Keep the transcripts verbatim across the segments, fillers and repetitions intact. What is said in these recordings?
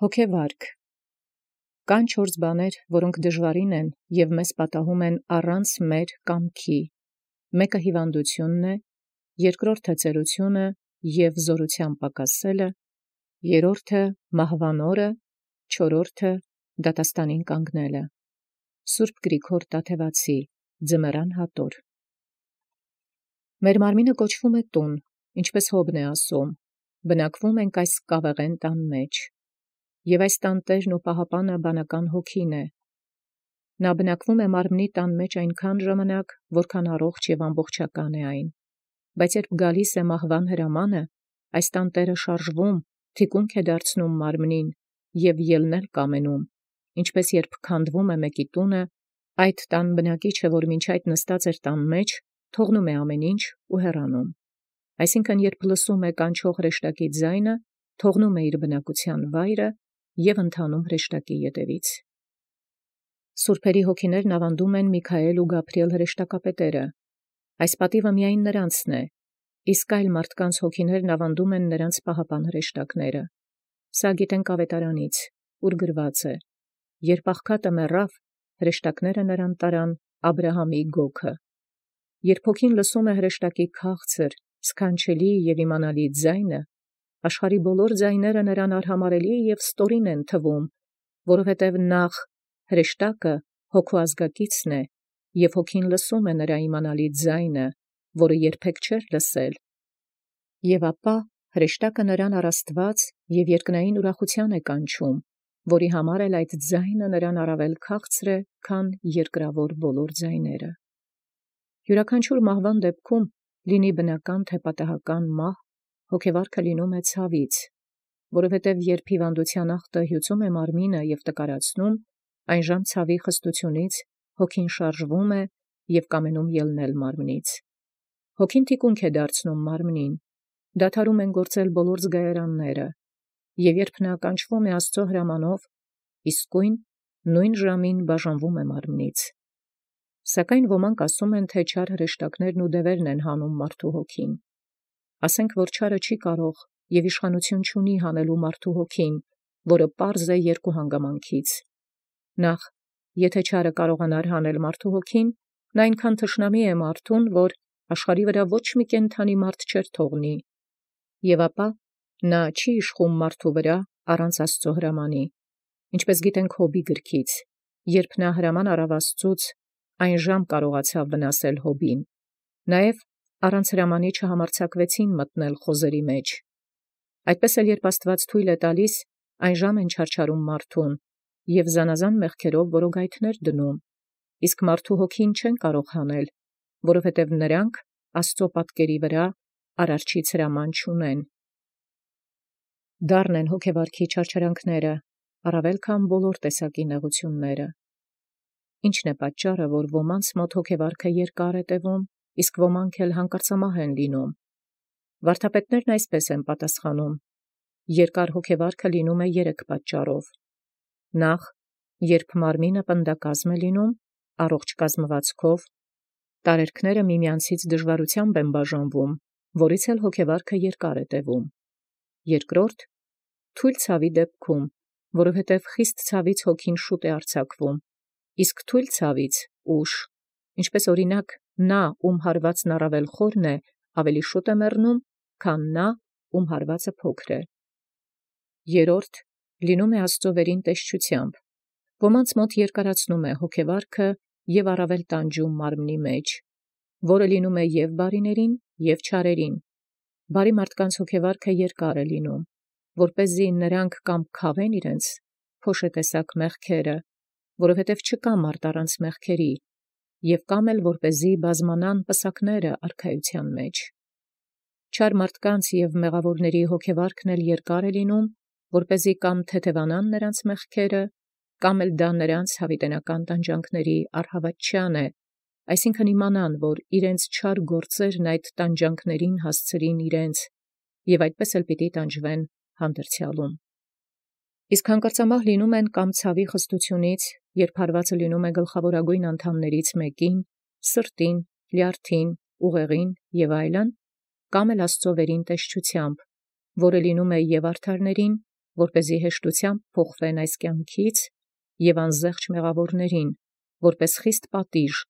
Հոգևարք կան չորս բաներ, որոնք դժվարին են և մեզ պատահում են առանց մեր կամքի. մեկը հիվանդութիւնն է, երկրորդը ծերությունը և զորութեան պակասելը, երրորդը մահվան օրը, չորրորդը դատաստանին կանգնելը։ Սուրբ Գրիգոր Տաթևացի, Ձմեռան հատոր։ Մեր մարմինը կոչվում է տուն, ինչպես Հոբն է ասում, բնակվում ենք այս կավեղեն տան մեջ, և այս տան տերն ու պահապանը բանական հոգին է։ Նա բնակվում է մարմնի տան մեջ այնքան ժամանակ, որքան առողջ և ամբողջական է այն, բայց երբ գալիս է մահվան հրամանը, այս տան տերը շարժվում, թիկունք է դարձնում մարմնին և ելնել կամենում, ինչպես երբ քանդվում է մեկի տունը, այդ տան բնակիչը, որ մինչ այդ նստած էր տան մեջ, թողնում է ամեն ինչ ու հեռանում։ Այսինքն, երբ լսում է կանչող հրեշտակի ձայնը, թողնում է իր բնակության վայրը և ընթանում հրեշտակի ետևից։ Սուրբերի հոգիներն ավանդում են Միքայել ու Գաբրիել հրեշտակապետերը։ Այս պատիվը միայն նրանցն է, իսկ այլ մարդկանց հոգիներն ավանդում են նրանց պահապան հրեշտակները։ Սա գիտենք Ավետարանից, ուր գրված է. երբ աղքատը մեռավ, հրեշտակները նրան տարան Աբրահամի գոգը։ Երբ հոգին լսում է հրեշտակի քաղցր, սքանչելի և իմանալի ձայնը, աշխարհի բոլոր ձայները նրան արհամարելի և ստորին են թվում, որովհետև նախ հրեշտակը հոգու ազգակիցն է, և հոգին լսում է նրա իմանալի ձայնը, որը երբեք չէր լսել, և ապա հրեշտակը նրան առ Աստված և երկնային ուրախութեան է կանչում, որի համար էլ այդ ձայնը նրան առավել քաղցր է, քան երկրավոր բոլոր ձայները։ Յուրաքանչյուր մահվան դեպքում, լինի բնական թե պատահական մահ, հոգևարքը լինում է ցավից, որովհետև երբ հիվանդութեան ախտը հյուծում է մարմինը և տկարացնում, այնժամ ցավի խստությունից հոգին շարժվում է և կամենում ելնել մարմնից։ Հոգին թիկունք է դարձնում մարմնին, դադարում են գործել բոլոր զգայարանները, և երբ նա կանչվում է Աստծո հրամանով, իսկույն նույն ժամին բաժանվում է մարմնից։ Սակայն ոմանք ասում են, թե չար հրեշտակներն ու դևերն են հանում մարդու հոգին։ Ասենք, որ չարը չի կարող և իշխանություն չունի հանելու մարդու հոգին, որը պարզ է երկու հանգամանքից. նախ, եթե չարը կարողանար հանել մարդու հոգին, նա այնքան թշնամի է մարդուն, որ աշխարհի վրա ոչ մի կենդանի մարդ չէր թողնի, և ապա նա չի իշխում մարդու վրա առանց Աստծո հրամանի, ինչպես գիտենք Հոբի գրքից, երբ նա հրաման առավ Աստծուց, այնժամ կարողացավ վնասել Հոբին, նաև առանց հրամանի չհամարձակվեցին մտնել խոզերի մեջ։ Այդպես էլ երբ Աստված թույլ է տալիս, այնժամ են չարչարում մարդուն և զանազան մեղքերով որոգայթներ դնում, իսկ մարդու հոգին չեն կարող հանել, որովհետև նրանք Աստծո պատկերի վրա արարչից հրաման չունեն։ Դառն են հոգևարքի չարչարանքները, առավել քան բոլոր տեսակի նեղությունները։ Ի՞նչն է պատճառը, որ ոմանց մոտ հոգևարքը երկար է տևում, իսկ ոմանք էլ հանկարծամահ են լինում։ Վարդապետներն այսպես են պատասխանում. երկար հոգևարքը լինում է երեք պատճառով. նախ, երբ մարմինը պնդակազմ է լինում, առողջ կազմվածքով, տարերքները միմյանցից դժվարութեամբ են բաժանվում, որից էլ հոգևարքը երկար է տևում. երկրորդ, թույլ ցավի դեպքում, որովհետև խիստ ցավից հոգին շուտ է արձակվում, իսկ թույլ ցավից ուշ, ինչպես օրինակ նա, ում հարվածն առավել խորն է, ավելի շուտ է մեռնում, քան նա, ում հարվածը փոքր է։ Երրորդ, լինում է Աստծո վերին տեսչությամբ. ոմանց մոտ երկարացնում է հոգևարքը և առավել տանջում մարմնի մեջ, որը լինում է և բարիներին, և չարերին։ Բարի մարդկանց հոգևարքը երկար է լինում, որպեսզի նրանք կամ քավեն իրենց փոշետեսակ մեղքերը, որովհետև չկա մարդ առանց մեղքերի, և կամ էլ որպեսզի բազմանան պսակները արքայության մեջ։ Չար մարդկանց և մեղավորների հոգևարքն էլ երկար է լինում, որպեսզի կամ թեթևանան նրանց մեղքերը, կամ էլ դա նրանց հավիտենական տանջանքների առհավատչան է, այսինքն իմանան, որ իրենց չար գործերն այդ տանջանքներին հասցրին իրենց, և այդպես էլ պիտի տանջվեն հանդերձյալում։ Իսկ հանկարծամահ լինում են կամ ցավի խստությունից, երբ հարվածը լինում է գլխավորագույն անդամներից մեկին, սրտին, լյարդին, ուղեղին և այլն, կամ էլ Աստծո վերին տեսչությամբ, որը լինում է և արդարներին, որպեսզի հեշտութեամբ փոխվեն այս կյանքից, և անզեղջ մեղավորացն, որպէս խիստ պատիժ,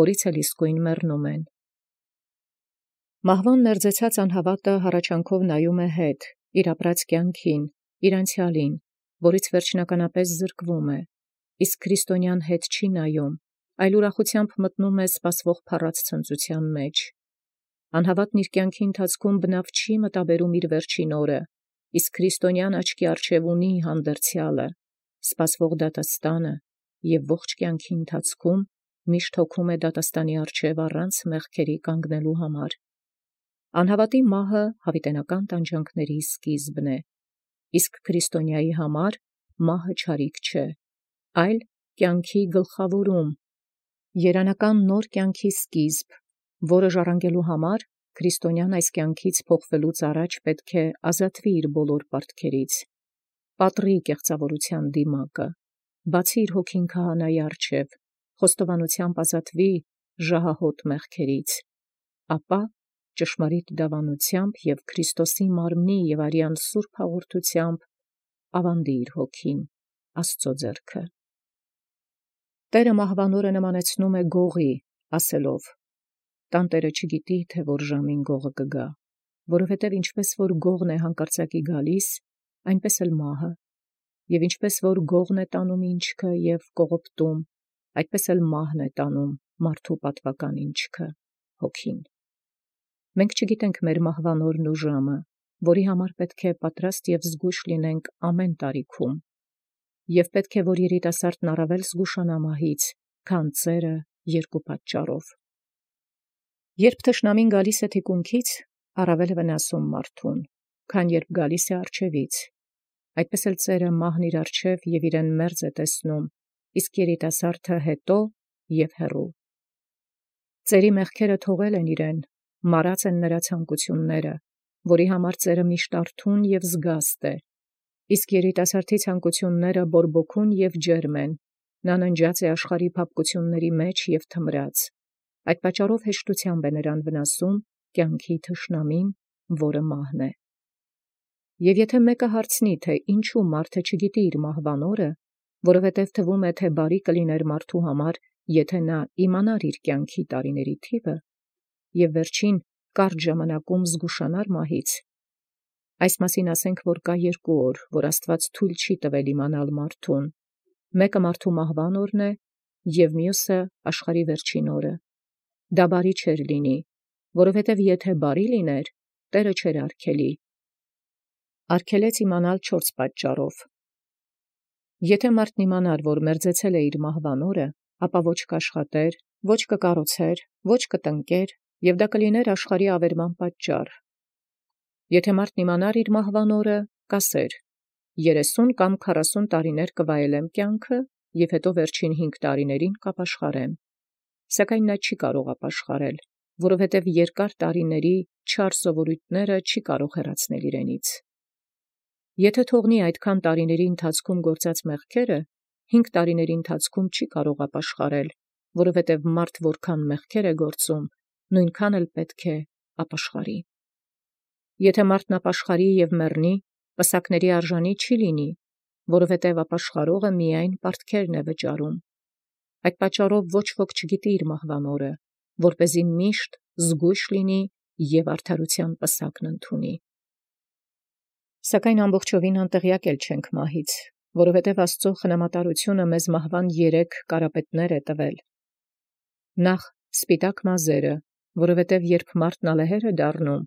որից էլ իսկոյն մեռնում են։ Մահվան մերձեցած անհավատը հառաչանքով նայում է հետ, իր ապրած կյանքին, իր անցեալին, որից վերջնականապես զրկվում է, իսկ քրիստոնյան հետ չի նայում, այլ ուրախութեամբ մտնում է սպասվող փառած ցնծութեան մեջ։ Անհավատն իր կյանքի ընթացքում բնավ չի մտաբերում իր վերջին օրը, իսկ քրիստոնյան աչքի առջև ունի հանդերձյալը, սպասվող դատաստանը, և ողջ կյանքի ընթացքում միշտ հոգում է դատաստանի առջև առանց մեղքերի կանգնելու համար։ Անհավատի մահը յաւիտենական տանջանքների սկիզբն է, իսկ քրիստոնյայի համար մահը չարիք չէ, այլ կյանքի գլխավորում, երանական նոր կյանքի սկիզբ, որը ժառանգելու համար քրիստոնյան այս կյանքից փոխվելուց առաջ պետք է ազատվի իր բոլոր պարտքերից, պատռի կեղծաւորութեան դիմակը, բացի իր հոգին քահանայի առջև, խոստովանութեամբ ազատվի ժահահոտ մեղքերից, ապա ճշմարիտ դավանութեամբ և Քրիստոսի մարմնի և արյան սուրբ հաղորդութեամբ ավանդի իր հոգին Աստուծոյ ձեռքը։ Տէրը մահվան օրը նմանեցնում է գողի, ասելով. «Տանտէրը չգիտի, թե որ ժամին գողը կգա, որովհետև ինչպես որ գողն է հանկարծակի գալիս, այնպես էլ մահը, և ինչպես որ գողն է տանում ինչքը և կողոպտում, այդպես էլ մահն է տանում մարդու պատուական ինչքը, հոգին»։ Մենք չգիտենք մեր մահվան օրն ու ժամը, որի համար պետք է պատրաստ և զգույշ լինենք ամեն տարիքում, և պետք է որ երիտասարդն առավել զգուշանա մահից, քան ծերը երկու պատճառով։ Երբ թշնամին գալիս է թիկունքից, առավել է վնասում մարդուն, քան երբ գալիս է առջևից, այդպես էլ ծերը մահն իր առջև և իրեն մերձ է տեսնում, իսկ երիտասարդը հետո և հեռու։ Ծերի մեղքերը թողել են իրեն, մարած են նրա ցանկությունները, որի համար ծերը միշտ արթուն և զգաստ է, իսկ երիտասարդի ցանկությունները բորբոքուն և ջերմ են, նա ննջած է աշխարհի փափկությունների մեջ և թմրած, այդ պատճառով հեշտութեամբ է նրան վնասում կյանքի թշնամին, որը մահն է։ Եվ եթե մեկը հարցնի, թե ինչու մարդը չգիտի իր մահվան օրը, որովհետև թվում է, թե բարի կլիներ մարդու համար, եթե նա իմանար իր կյանքի տարիների թիվը, և վերջին կարճ ժամանակում զգուշանար մահից, այս մասին ասենք, որ կա երկու օր, որ Աստուած թույլ չի տվել իմանալ մարդուն, մեկը մարդու մահվան օրն է, և մյուսը աշխարհի վերջին օրը։ Դա բարի չէր լինի, որովհետև եթե բարի լիներ, Տէրը չէր արգելի։ Արգելեց իմանալ չորս պատճառով։ Եթե մարդն իմանար, որ մերձեցել է իր մահվան օրը, ապա ոչ կաշխատեր, ոչ կկառուցեր, ոչ կտնկեր, և դա կլիներ աշխարհի ավերման պատճառ։ Եթե մարդն իմանար իր մահվան օրը, կասեր. երեսուն կամ քառասուն տարիներ կվայելեմ կյանքը, և հետո վերջին հինգ տարիներին կապաշխարեմ։ Սակայն նա չի կարող ապաշխարել, որովհետև երկար տարիների չար սովորութիւնները չի կարող հեռացնել իրենից։ Եթե թողնի այդքան տարիների ընթացքում գործած մեղքերը, հինգ տարիների ընթացքում չի կարող ապաշխարել, որովհետև մարդ որքան մեղքեր է գործում, նույնքան էլ պետք է ապաշխարի։ Եթե մարդն ապաշխարի և մեռնի, պսակների արժանի չի լինի, որովհետև ապաշխարողը միայն պարտքերն է վճարում։ Այդ պատճառով ոչ ոք չգիտի իր մահվան օրը, որպեսզի միշտ զգույշ լինի և արդարութեան պսակն ընդունի։ Սակայն ամբողջովին անտեղյակ էլ չենք մահից, որովհետև Աստուծոյ խնամատարությունը մեզ մահվան երեք կարապետներ է տվել. նախ սպիտակ մազերը, որովհետև երբ մարդն ալեհեր է դառնում,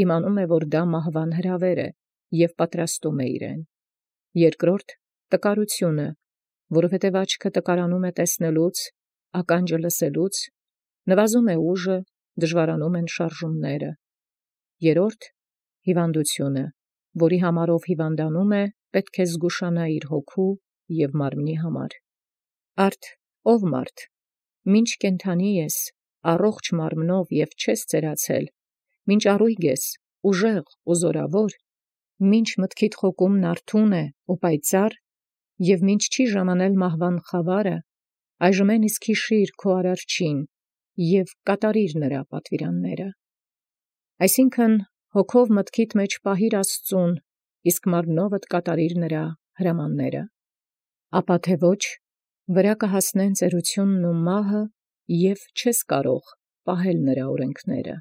իմանում է, որ դա մահվան հրավեր է, և պատրաստում է իրեն. երկրորդ տկարությունը, որովհետև աչքը տկարանում է տեսնելուց, ականջը լսելուց, նվազում է ուժը, դժվարանում են շարժումները. երրորդ հիվանդությունը, որի համարով հիվանդանում է, պետք է զգուշանա իր հոգու և մարմնի համար։ Արդ ով մարդ, մինչ կենդանի ես, առողջ մարմնով և չես ծերացել, մինչ առույգ ես, ուժեղ ու զորավոր, մինչ մտքիդ խոկումն արթուն է ու պայծառ, և մինչ չի ժամանել մահվան խավարը, այժմեն իսկ հիշիր քո Արարչին և կատարիր նրա պատվիրանները։ Այսինքն հոգով մտքիդ մեջ պահիր Աստծուն իսկ մարմնովդ կատարիր նրա հրամանները։ Ապա թե ոչ, վրայ կհասնեն ծերութիւնն ու մահը, և չես կարող պահել նրա օրենքները։